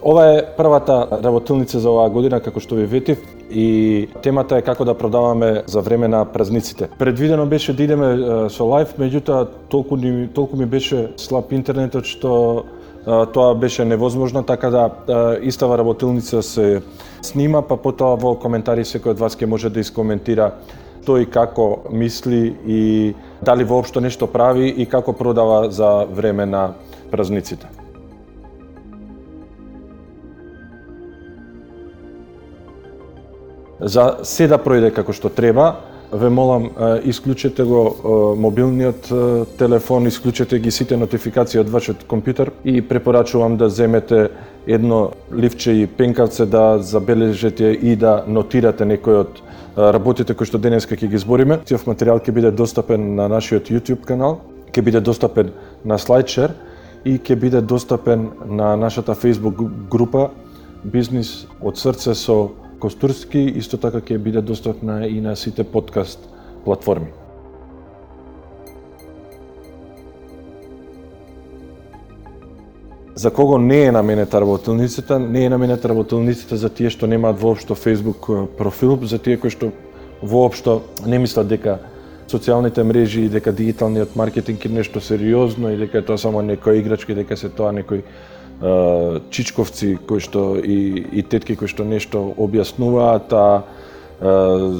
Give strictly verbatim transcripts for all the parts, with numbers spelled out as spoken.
Ова е првата работилница за оваа година, како што ви ветив, и темата е како да продаваме за време на празниците. Предвидено беше да идеме со лајв, меѓутоа толку, ни, толку ми беше слаб интернетот што тоа беше невозможно, така да истава работилница се снима, па потоа во коментари секој од вас ќе може да искоментира што и како мисли и дали воопшто нешто прави и како продава за време на празниците. За се да пројде како што треба, ве молам, исклучете го мобилниот телефон, исклучете ги сите нотификации од вашиот компјутер и препорачувам да земете едно ливче и пенкавце да забележите и да нотирате некој од работите кои што денеска ќе ги збориме. Тиов материјал ќе биде достапен на нашиот YouTube канал, ќе биде достапен на SlideShare и ќе биде достапен на нашата Facebook група Бизнис од срце со Костурски, исто така ќе биде достапна и на сите подкаст платформи. За кого не е наменета работилницата? Не е наменета работилницата за тие што немаат воопшто Facebook профил, за тие кои што воопшто не мислат дека социјалните мрежи и дека дигиталниот маркетинг е нешто сериозно и дека е тоа само некоја играчка и дека се тоа некој Uh, чичковци кои што и, и тетки кои што нешто објаснуваат, а uh,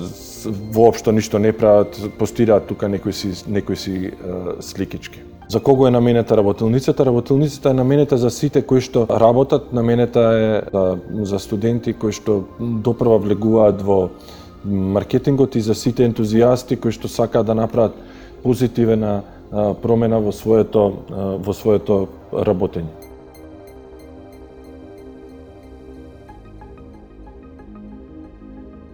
воопшто ништо не прават, постираат тука некои си, некои си uh, сликички. За кого е наменета работилницата? Работилницата е наменета за сите кои што работат, наменета е uh, за студенти кои што допрва влегуваат во маркетингот и за сите ентузијасти кои што сакаат да направат позитивна uh, промена во своето, uh, во своето работење.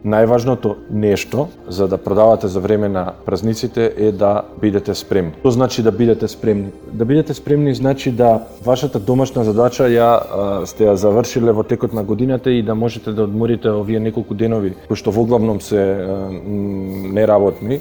Најважното нешто за да продавате за време на празниците е да бидете спремни. Што значи да бидете спремни? Да бидете спремни значи да вашата домашна задача ја а, сте ја завршиле во текот на годината и да можете да одморите овие неколку денови кои што воглавном се а, неработни.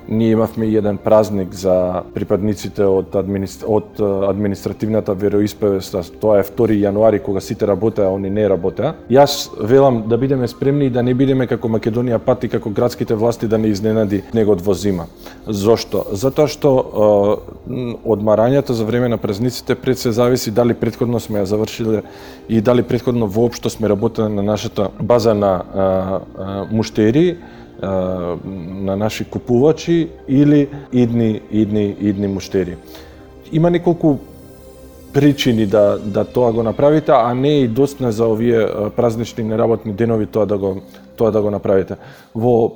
Ние имавме еден празник за припадниците од, администр... од административната вероисповест, тоа е втори јануари кога сите работеа, а они не работеа. Јас велам да бидеме спремни и да не бидеме како Македонија пат и како градските власти да не изненади снегот во зима. Зошто? Затоа што е, одмарањето за време на празниците пред се зависи дали претходно сме ја завршиле и дали претходно воопшто сме работеле на нашата база на е, е, муштери, на наши купувачи или идни идни идни муштери. Има неколку причини да да тоа го направите, а не и достатно за овие празнични неработни денови тоа да го тоа да го направите. Во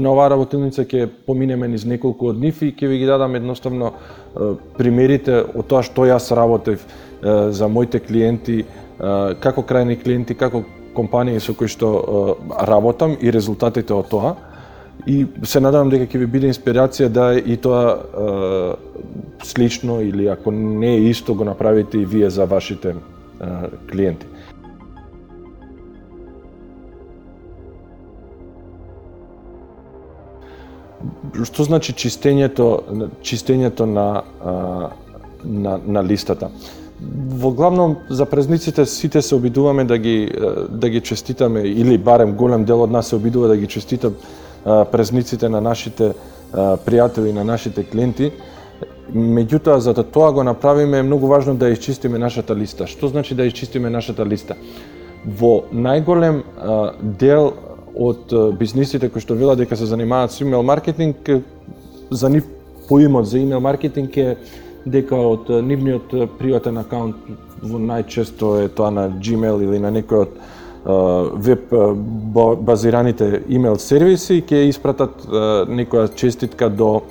на оваа работилница ќе поминеме низ неколку од нив и ќе ви ги дадам едноставно примерите од тоа што јас работев за моите клиенти, како крајни клиенти, како компании со кои што uh, работам и резултатите од тоа. И се надевам дека ќе ви биде инспирација да и тоа uh, слично или ако не е исто го направите и вие за вашите uh, клиенти. Што значи чистењето чистењето на uh, на, на листата? Во главном за празниците сите се обидуваме да ги да ги честитаме или барем голем дел од нас се обидува да ги честита празниците на нашите пријатели, на нашите клиенти. Меѓутоа за да тоа го направиме е многу важно да исчистиме нашата листа. Што значи да исчистиме нашата листа? Во најголем дел од бизнисите кои што велат дека се занимаваат со имейл маркетинг, за нив поимот за имейл маркетинг е дека од нивниот приватен акаунт, најчесто е тоа на Gmail или на некој од веб базираните имейл сервиси, ќе испратат некоја честитка до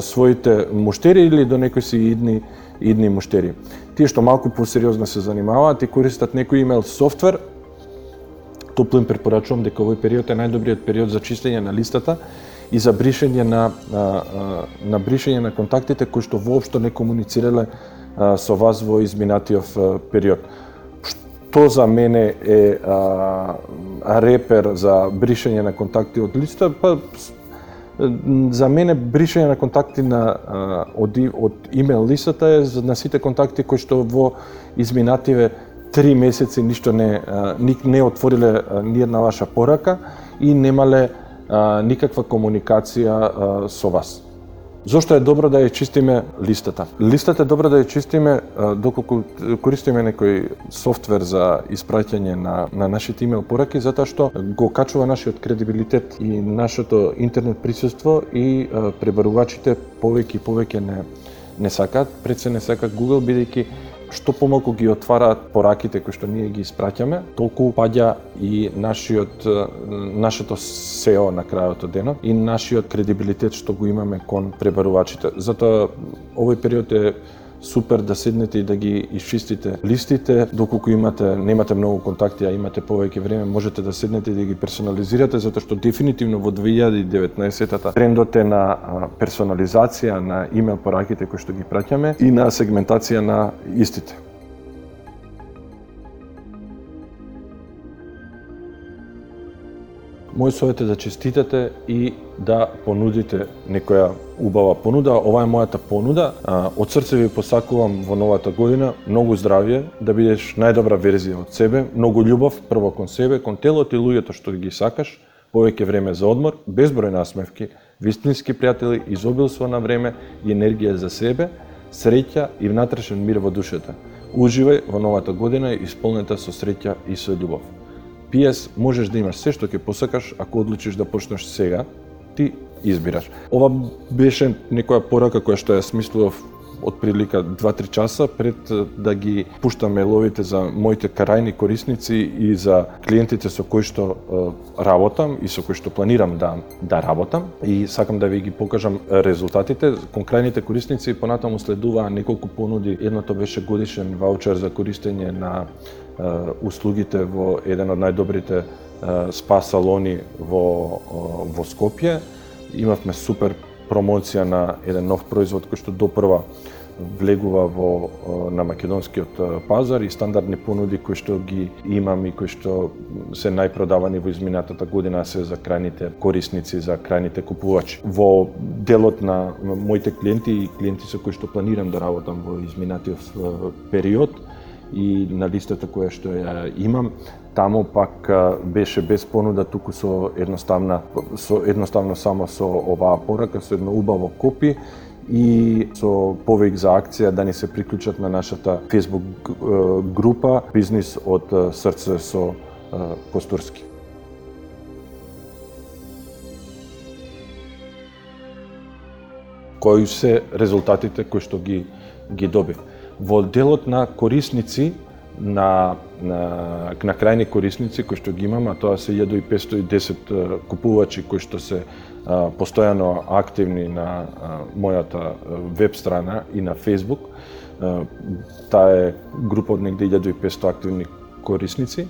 своите муштери или до некои си идни идни муштери. Тие што малку посериозно се занимаваат и користат некој имейл софтвер, топло им препорачувам дека овој период е најдобриот период за чистење на листата и за бришење на, на бришење на контактите кои што воопшто не комуницирале со вас во изминатиот период. Што за мене е а, репер за бришење на контакти од листа? Па, за мене бришење на контакти на, од, од имейл листата е на сите контакти кои што во изминативе три месеци ништо не ник не отвориле ни една ваша порака и немале никаква комуникација со вас. Зошто е добро да ја чистиме листата? Листата е добро да ја чистиме доколку користиме некој софтвер за испраќање на, на нашите имейл пораки, затоа што го качува нашиот кредибилитет и нашето интернет присуство и пребарувачите повеќе и повеќе не, не сакаат, пред се не сакаат Google, бидејќи што помалку ги отвараат пораките кои што ние ги испраќаме, толку паѓа и нашиот нашето сео на крајот од денот и нашиот кредибилитет што го имаме кон пребарувачите. Затоа овој период е супер да седнете и да ги исчистите листите, доколку имате немате многу контакти, а имате повеќе време, можете да седнете и да ги персонализирате, затоа што дефинитивно во две илјади и деветнаесета трендот е на персонализација на имейл пораките кои што ги праќаме и на сегментација на истите. Мој совет е да честитате и да понудите некоја убава понуда. Ова е мојата понуда. Од срце ви посакувам во новата година многу здравје, да бидеш најдобра верзија од себе, многу љубов прво кон себе, кон телото и луѓето што ги сакаш, повеќе време за одмор, безброј насмевки, вистински пријатели, изобилство на време и енергија за себе, среќа и внатрешен мир во душата. Уживај во новата година исполнета со среќа и со љубов. Пи Ес, можеш да имаш се што ќе посакаш ако одлучиш да почнеш сега, ти избираш. Ова беше некоја порака која што ја смислував од прилика два-три часа пред да ги пуштам мејловите за моите крајни корисници и за клиентите со кои што е, работам и со кои што планирам да да работам, и сакам да ви ги покажам резултатите. Кон крајните корисници понатаму следуваа неколку понуди. Едното беше годишен ваучер за користење на услугите во еден од најдобрите спа салони во во Скопје. Имавме супер промоција на еден нов производ кој што допрва влегува во на македонскиот пазар и стандардни понуди кои што ги имам и кои што се најпродавани во изминатата година се за крајните корисници, за крајните купувачи. Во делот на моите клиенти и клиенти со кои што планирам да работам во изминатиот период и на листата која што ја имам, таму пак беше без понуда, туку со едноставна со едноставно само со оваа порака, со едно убаво копи и со повик за акција да ни се приклучат на нашата Facebook група Бизнис од срце со Костурски. Кои се резултатите кои што ги ги добив? Во делот на корисници, на, на, на крајни корисници кои што ги имам, а тоа се илјада и петстотини и десет купувачи кои што се а, постојано активни на а, мојата веб страна и на Facebook. А, таа е група од негде илјада и петстотини активни корисници.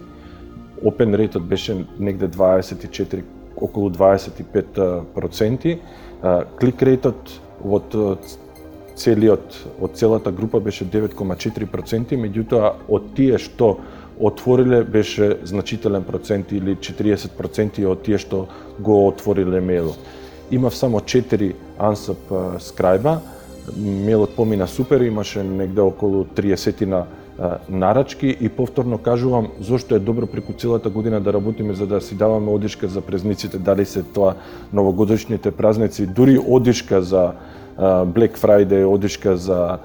Open rate беше негде дваесет и четири, околу дваесет и пет проценти. Клик рейтот од целиот од целата група беше девет кoma четири проценти, меѓутоа од тие што отвориле беше значителен процент или четириесет проценти од тие што го отвориле мејлот. Имав само четири unsubscribe-а, мејлот помина супер, имаше негде околу триесет нарачки и повторно кажувам зошто е добро преку целата година да работиме за да си даваме одишка за празниците, дали се тоа новогодишните празници, дури одишка за Black Friday, одишка за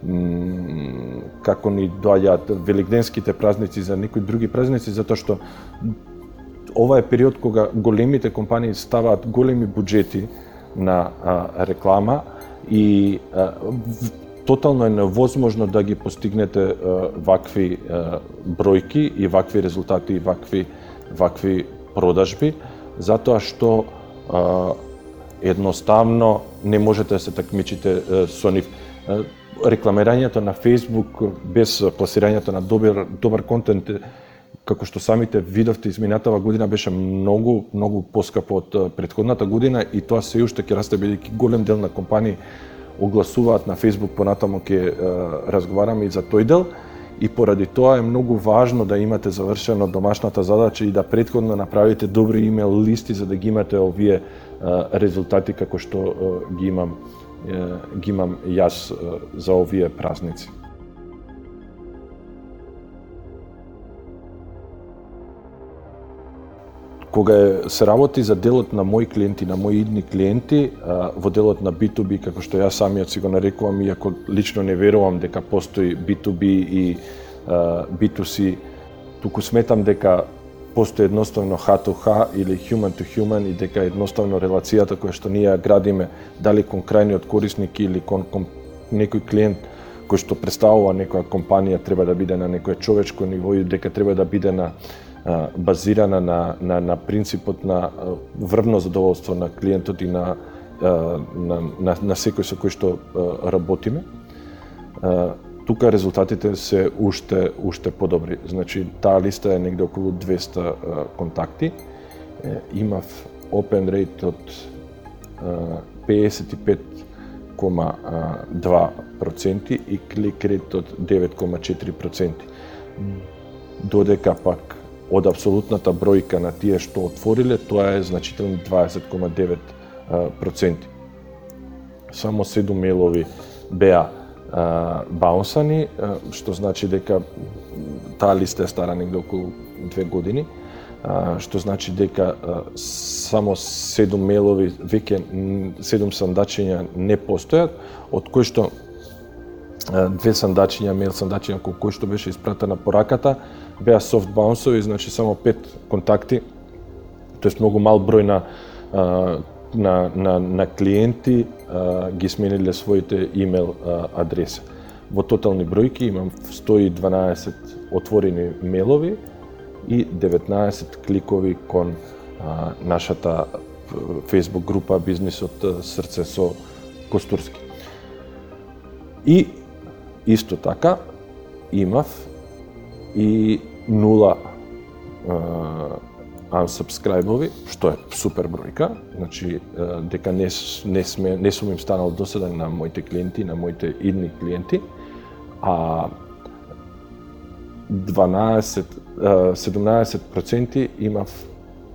м, како ни доаѓаат великденските празници, за некои други празници, затоа што ова е период кога големите компании ставаат големи буџети на а, реклама и а, тотално е невозможно да ги постигнете а, вакви а, бројки и вакви резултати и вакви вакви продажби, затоа што а, едноставно не можете да се такмичите со нив. Рекламирањето на Facebook без пласирањето на добар добар контент, како што самите видовте изминатава година, беше многу многу поскапо од претходната година и тоа се уште ќе расте бидејќи голем дел на компании огласуваат на Facebook, понатаму ќе разговараме и за тој дел. И поради тоа е многу важно да имате завршено домашната задача и да претходно направите добри имейл листи за да ги имате овие резултати како што ги имам ги имам јас за овие празници. кога е, се работи за делот на мои клиенти, на мои идни клиенти, во делот на би ту би, како што ја самиот си го нарекувам, иако лично не верувам дека постои би ту би и би ту си, туку сметам дека постои едноставно ха ту ха или human to human и дека едноставно релацијата која што ние ја градиме, дали кон крајниот корисник или кон, кон некој клиент кој што представува некоја компанија, треба да биде на некој човечко ниво и дека треба да биде на базирана на, на, на принципот на врвно задоволство на клиентот и на, на, на, на секој со кој што работиме. Тука резултатите се уште, уште подобри. Значи, таа листа е негде околу двеста контакти. Имав open rate од педесет и пет кома два проценти и клик рейт од девет кома четири проценти. Додека пак од апсолутната бројка на тие што отвориле, тоа е значително дваесет кома девет проценти. Само седум мејлови беа баунсани, што значи дека таа листа е стара негде околу две години, што значи дека само седум мејлови, веќе седум сандачиња не постојат, од кои што две сандачиња, мејл сандачиња кој кој што беше испратена пораката, беа софт баунсови, значи само пет контакти, тоест многу мал број на на на на клиенти ги смениле своите имејл адреси. Во тотални бројки имам сто и дванаесет отворени мејлови и деветнаесет кликови кон а, нашата Facebook група Бизнисот Срце со Костурски. И исто така имав и нула unsubscribe-ови, што е супер бројка, значи дека не не сме не сум им станал досаден на моите клиенти, на моите идни клиенти, а дванаесет седумнаесет проценти имав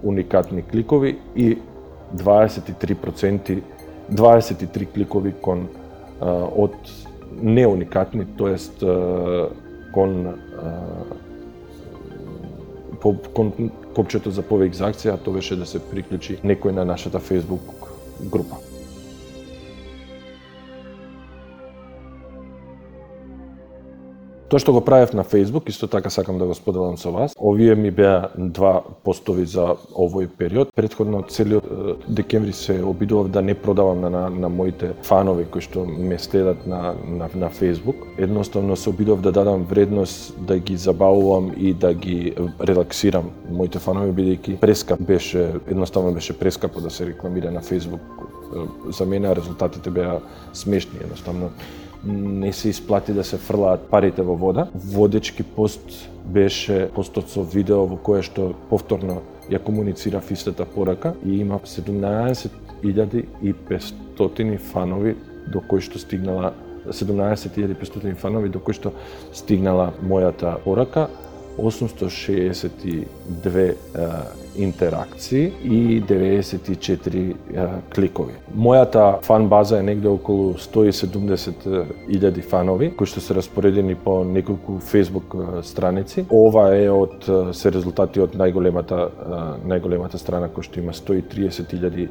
уникатни кликови и дваесет и три проценти дваесет и три кликови кон од неуникатни, тоест кон кон копчето за повеќе за акција, а тоа беше да се приклучи некој на нашата Facebook група. Тоа што го правев на Facebook, исто така сакам да го споделам со вас. Овие ми беа два постови за овој период. Претходно целиот декември се обидував да не продавам на, на, на моите фанови кои што ме следат на, на, на Facebook. Едноставно се обидував да дадам вредност, да ги забавувам и да ги релаксирам моите фанови, бидејќи прескап беше, едноставно беше прескапо да се рекламира на Facebook. За мене резултатите беа смешни, едноставно не се исплати да се фрлаат парите во вода. Водечки пост беше постот со видео во кое што повторно ја комуницирав истата порака и имав седумнаесет илјади и петстотини фанови до кои што стигнала седумнаесет илјади и петстотини фанови до кои што стигнала мојата порака, осумсто шеесет и две а, интеракции и деветдесет и четири а, кликови. Мојата фан база е негде околу сто и седумдесет илјади фанови кои што се распоредени по неколку Facebook страници. Ова е од се резултати од најголемата најголемата страна која што има сто и триесет илјади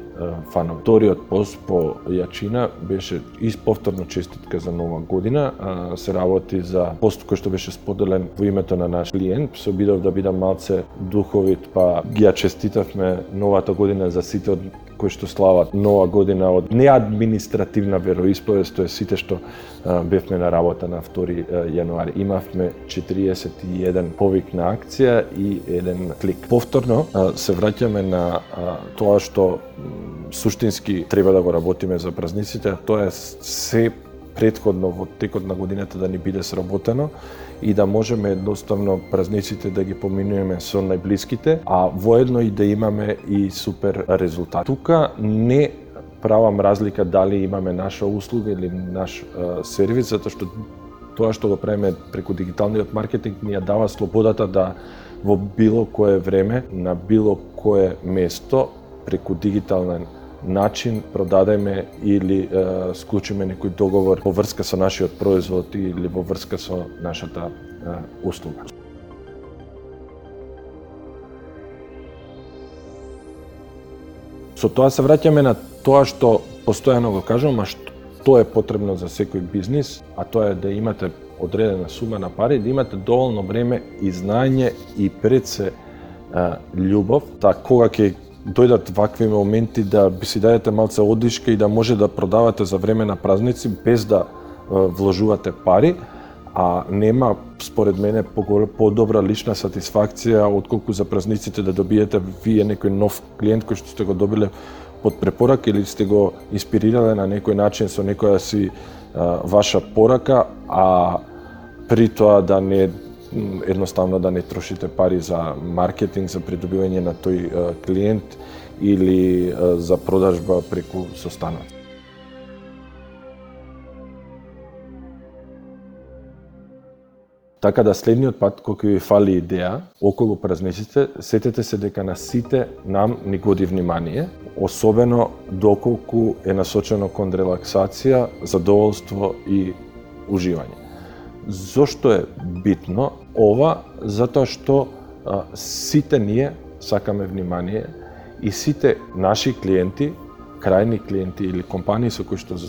фанови. Вториот пост по јачина беше и повторно честитка за нова година. А, се работи за пост кој што беше споделен во името на наш клиент. Се обидов да бидам малце духовит, па ги ја честитавме новата година за сите од кои што слават нова година од неадминистративна вероисповест, тоа е сите што а, бевме на работа на втори јануари. Имавме четириесет и еден повик на акција и еден клик. Повторно а, се враќаме на а, тоа што м, суштински треба да го работиме за празниците, тоа е се претходно во текот на годината да ни биде сработено и да можеме едноставно празниците да ги поминуваме со најблиските, а воедно и да имаме и супер резултат. Тука не правам разлика дали имаме наша услуга или наш а, сервис, затоа што тоа што го правиме преку дигиталниот маркетинг ни ја дава слободата да во било кое време, на било кое место, преку дигитален начин продадеме или е, склучиме некој договор во врска со нашиот производ или во врска со нашата е, услуга. Со тоа се враќаме на тоа што постојано го кажувам, а што е потребно за секој бизнис, а тоа е да имате одредена сума на пари, да имате доволно време и знаење и пред се а, љубов, така кога ќе дојдат вакви моменти да би си дадете малце одишка и да може да продавате за време на празници без да а, вложувате пари, а нема според мене подобра лична сатисфакција отколку за празниците да добиете вие некој нов клиент кој што сте го добиле под препорака или сте го инспирирале на некој начин со некоја си а, ваша порака, а при тоа да не едноставно да не трошите пари за маркетинг, за придобивање на тој а, клиент или а, за продажба преку состанок. Така да следниот пат кога ви фали идеја околу празниците, сетете се дека на сите нам ни годи внимание, особено доколку е насочено кон релаксација, задоволство и уживање. Зошто е битно ова? Затоа што а, сите ние сакаме внимание и сите наши клиенти, крајни клиенти или компании со кои што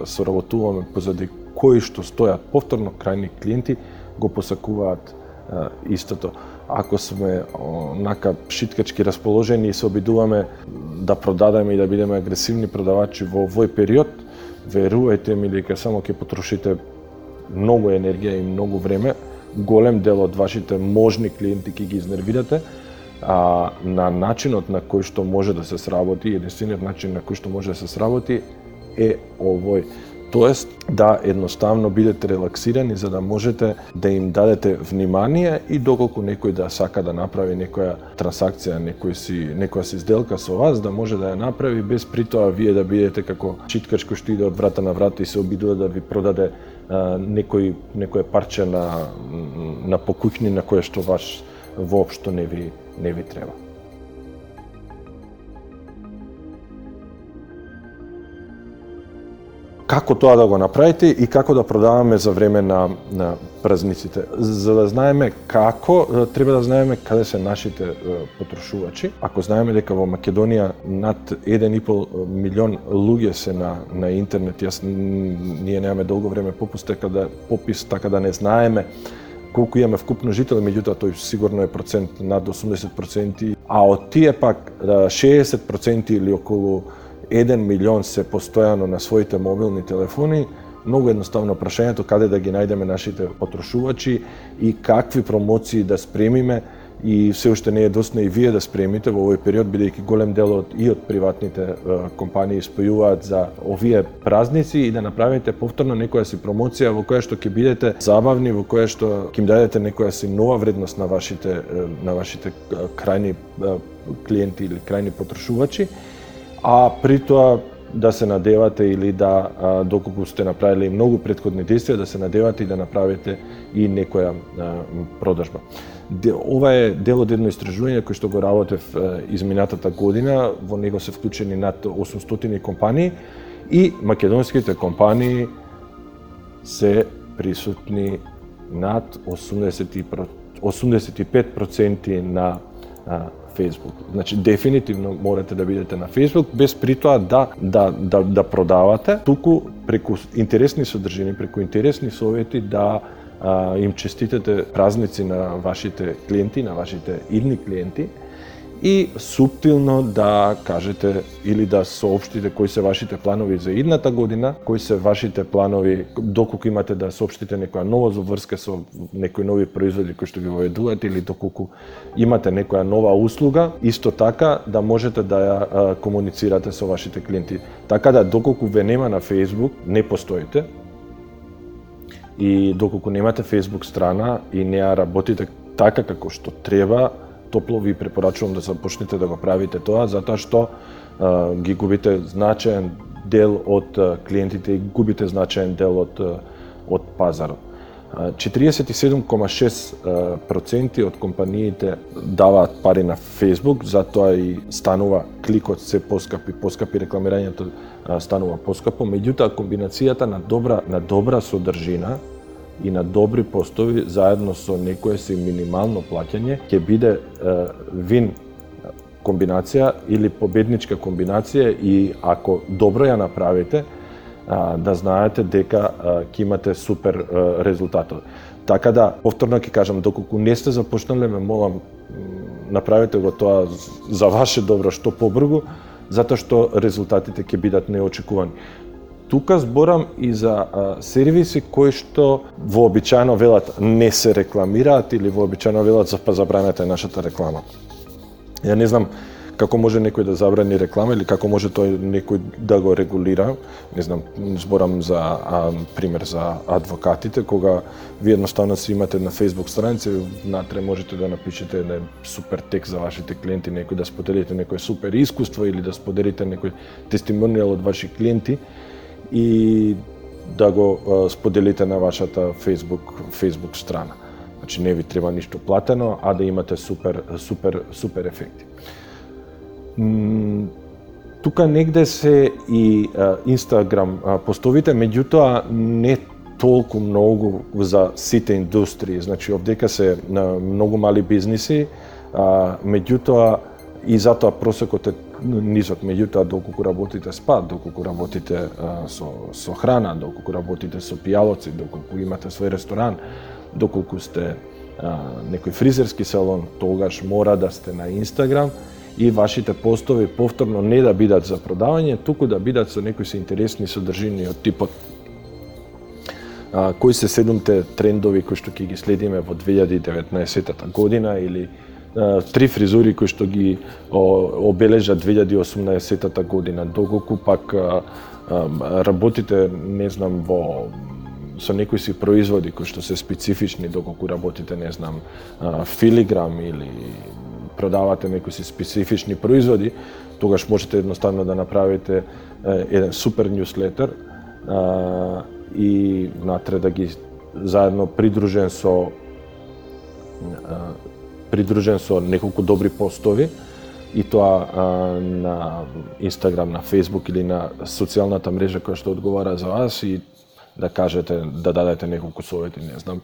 соработуваме, позади кои што стојат повторно крајни клиенти, го посакуваат а, истото. Ако сме онака шиткачки расположени и се обидуваме да продадеме и да бидеме агресивни продавачи во овој период, верувајте ми дека само ќе потрошите многу енергија и многу време, голем дел од вашите можни клиенти ќе ги изнервирате, а на начинот на кој што може да се сработи, единствениот начин на кој што може да се сработи е овој. Тоест, да едноставно бидете релаксирани за да можете да им дадете внимание и доколку некој да сака да направи некоја трансакција, некој си, некоја си сделка со вас, да може да ја направи без при тоа вие да бидете како читкач кој што иде од врата на врата и се обидува да ви продаде а, некој, некој парче на, на покуќни на кое што ваш воопшто не ви, не ви треба. Како тоа да го направите и како да продаваме за време на, на празниците. За да знаеме како, треба да знаеме каде се нашите потрошувачи. Ако знаеме дека во Македонија над еден и пол милион луѓе се на, на интернет, јас ние немаме долго време попис, така да, попис, така да не знаеме колку имаме вкупно жители, меѓутоа тој сигурно е процент над осумдесет проценти, а од тие пак шеесет проценти или околу еден милион се постојано на своите мобилни телефони. Многу едноставно прашањето каде да ги најдеме нашите потрошувачи и какви промоции да спремиме, и се уште не е доцна и вие да спремите во овој период, бидејќи голем дел од и од приватните е, компании спојуваат за овие празници, и да направите повторно некоја си промоција во која што ќе бидете забавни, во која што ќе им дадете некоја си нова вредност на вашите на вашите крајни клиенти или крајни потрошувачи, а при тоа да се надевате или да, доколку сте направили многу претходни действија, да се надевате и да направите и некоја продажба. Ова е дел од едно истражување кој што го работев изминатата година, во него се вклучени над осумстотини компании и македонските компании се присутни над осумдесет и пет проценти на Facebook. Значи дефинитивно морате да бидете на Facebook, без при тоа да да да да продавате, туку преку интересни содржини, преку интересни совети да а, им честитате празници на вашите клиенти, на вашите идни клиенти, и суптилно да кажете или да соопштите кои се вашите планови за идната година, кои се вашите планови доколку имате да соопштите некоја нова заврска со некои нови производи кои што ги воведувате, или доколку имате некоја нова услуга, исто така да можете да ја а, комуницирате со вашите клиенти. Така да доколку ве нема на Facebook, не постоите, и доколку немате Facebook страна и не ја работите така како што треба, топло ви препорачувам да започнете да го правите тоа, затоа што а, ги губите значаен дел од а, клиентите и губите значаен дел од, од пазарот. четириесет и седум кома шест проценти од компаниите даваат пари на Facebook, затоа и станува кликот се поскапи, поскапи рекламирањето станува поскапо, меѓутоа комбинацијата на добра на добра содржина и на добри постови заедно со некое си минимално плаќање ќе биде е, вин комбинација или победничка комбинација и ако добро ја направите, да знаете дека ќе имате супер резултати. Така да, повторно ќе кажам, доколку не сте започнале, ме молам, направете го тоа за ваше добро што побрзо, затоа што резултатите ќе бидат неочекувани. Тука зборам и за а, сервиси кои што вообичаено велат не се рекламираат или вообичаено велат за па забранете нашата реклама. Ја не знам како може некој да забрани реклама или како може тој некој да го регулира. Не знам, зборам за а, пример за адвокатите, кога ви едноставно си имате на Facebook страница, внатре можете да напишете еден супер текст за вашите клиенти, некој да споделите некој супер искуство или да споделите некој тестимонијал од ваши клиенти и да го а, споделите на вашата Facebook Facebook страна. Значи не ви треба ништо платено, а да имате супер супер супер ефекти. М, тука негде се и а, Instagram а, постовите, меѓутоа не толку многу за сите индустрии. Значи овдека се на многу мали бизниси, а, меѓутоа и затоа просекот е низок, меѓутоа доколку работите спа, доколку работите а, со со храна, доколку работите со пијалоци, доколку имате свој ресторан, доколку сте а, некој фризерски салон, тогаш мора да сте на Инстаграм и вашите постови повторно не да бидат за продавање, туку да бидат со некои се интересни содржини од типот а, кои се седумте трендови кои што ќе ги следиме во две илјади и деветнаесетта година или а, три фризури кои што ги о, обележат две илјади и осумнаесетта година, доколку пак а, а, работите, не знам, во со некои си производи кои што се специфични, доколку работите, не знам, а, филиграм или продавате некои си специфични производи, тогаш можете едноставно да направите е, еден супер ньюслетер а, и натре да ги заедно придружен со а, придружен со неколку добри постови и тоа а, на Инстаграм, на Фейсбук или на социјалната мрежа која што одговара за вас и да кажете, да дадете неколку совети, не знам,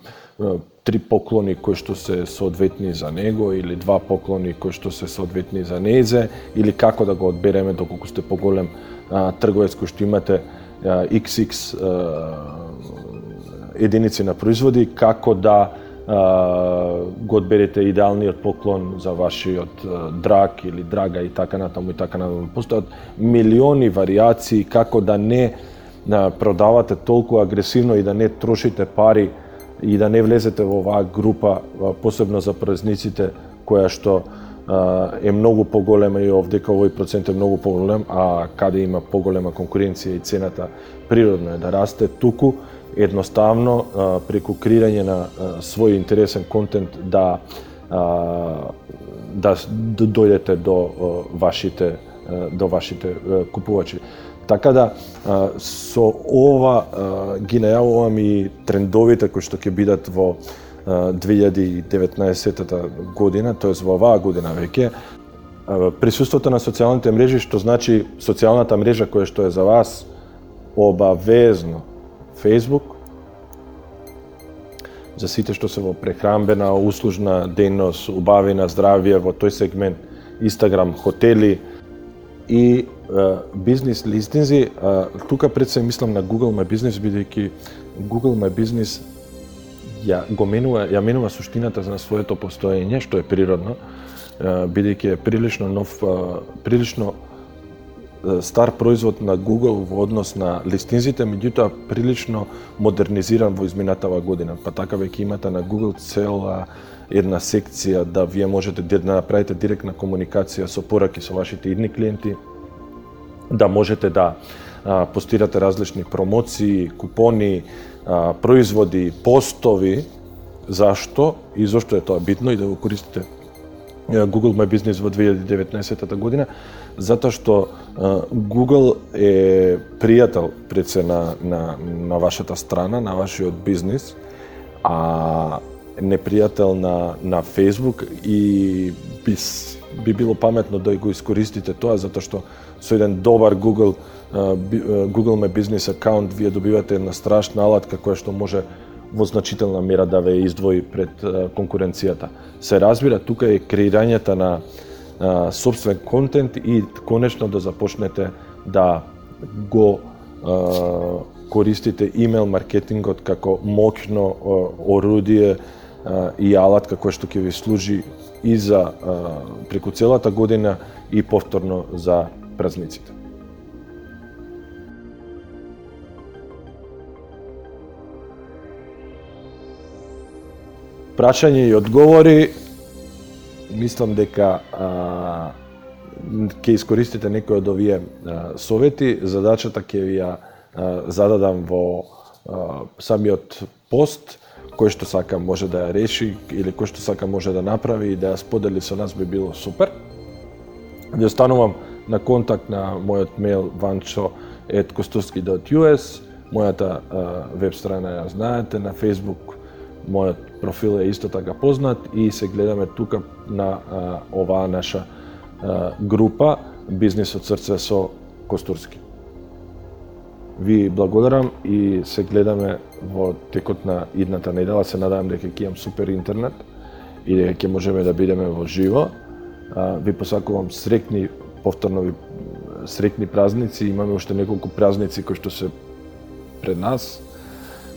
три поклони кои што се соодветни за него или два поклони кои што се соодветни за незе или како да го одбереме доколку сте поголем а, трговец кој што имате а, икс икс а, единици на производи, како да а, го одберете идеалниот поклон за вашиот а, драг или драга и така натаму и така натаму. Постојат милиони варијации како да не да продавате толку агресивно и да не трошите пари и да не влезете во оваа група, посебно за празниците, која што е многу поголема и овдека овој процент е многу поголем, а каде има поголема конкуренција и цената природно е да расте, туку едноставно преку креирање на свој интересен контент да да дојдете до вашите до вашите купувачи. Така да, со ова ги најавувам и трендовите кои што ќе бидат во две илјади и деветнаесетта година, тоест во оваа година веќе. Присуството на социјалните мрежи, што значи социјалната мрежа која што е за вас, обавезно Facebook, за сите што се во прехранбена, услужна дејност, убавина, здравје, во тој сегмент, Instagram, хотели и бизнес листинзи. Тука пред се мислам на Google My Business, бидејќи Google My Business ја го менува, ја менува суштината на своето постоење, што е природно, бидејќи е прилично нов, прилично стар производ на Google во однос на листинзите, меѓутоа прилично модернизиран во изминатава година. Па така веќе имате на Google цела една секција да вие можете да направите директна комуникација со пораки со вашите идни клиенти, да можете да а, постирате различни промоции, купони, а, производи, постови. Зашто и зошто е тоа битно и да го користите Google My Business во две илјади и деветнаесетта година? Затоа што а, Google е пријател пред се на, на, на вашата страна, на вашиот бизнис, а непријател на, на Facebook и би, би било паметно да го искористите тоа, затоа што со еден добар Google Google My Business акаунт вие добивате една страшна алатка која што може во значителна мера да ве издвои пред конкуренцијата. Се разбира, тука е креирањето на а, собствен контент и конечно да започнете да го а, користите имейл маркетингот како моќно орудие а, и алат како што ќе ви служи и за а, преку целата година и повторно за празниците. Прашање и одговори, мислам дека а, ќе искористите некои од овие а, совети. Задачата ќе ви ја а, зададам во а, самиот пост, кој што сака може да ја реши или кој што сака може да направи и да ја сподели со нас, би било супер. Ви останувам на контакт на мојот мејл vancho at kosturski dot u s, мојата а, веб страна ја знаете, на Facebook мојот профил е исто така познат и се гледаме тука на а, оваа наша а, група Бизнис од срце со Костурски. Ви благодарам и се гледаме во текот на идната недела. Се надевам дека ќе имам супер интернет и дека ќе можеме да бидеме во живо. А, ви посакувам среќни, повторно ви среќни празници. Имаме уште неколку празници кои што се пред нас.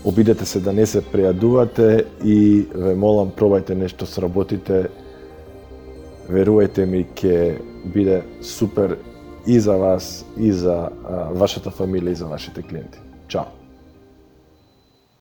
Обидете се да не се прејадувате и ве молам, пробајте нешто, сработите. Верувајте ми, ќе биде супер и за вас, и за а, вашата фамилија, и за вашите клиенти. Чао!